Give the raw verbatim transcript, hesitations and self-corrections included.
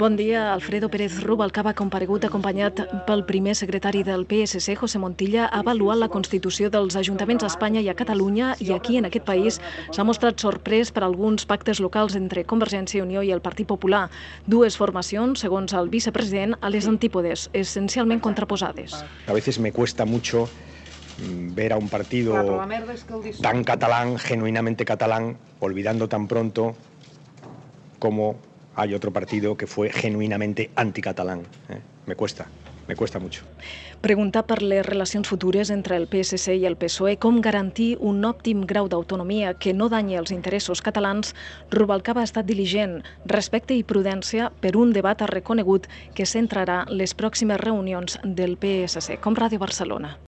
Bon dia. Alfredo Pérez Rubalcaba ha comparegut acompanyat pel primer secretari del P S C, José Montilla, ha avaluat la constitució dels ajuntaments a Espanya i a Catalunya i aquí, en aquest país, s'ha mostrat sorprès per alguns pactes locals entre Convergència i Unió i el Partit Popular. Dues formacions, segons el vicepresident, a les antípodes, essencialment contraposades. A veces me cuesta mucho ver a un partido tan catalán, genuinamente catalán, olvidando tan pronto como hay otro partido que fue genuinamente anticatalán. ¿eh? Me cuesta, me cuesta mucho. Preguntar per les relacions futures entre el P S C i el P S O E, com garantir un òptim grau d'autonomia que no danyi els interessos catalans, Rubalcaba ha estat diligent, respecte i prudència per un debat ha reconegut que centrarà les pròximes reunions del P S C, com Ràdio Barcelona.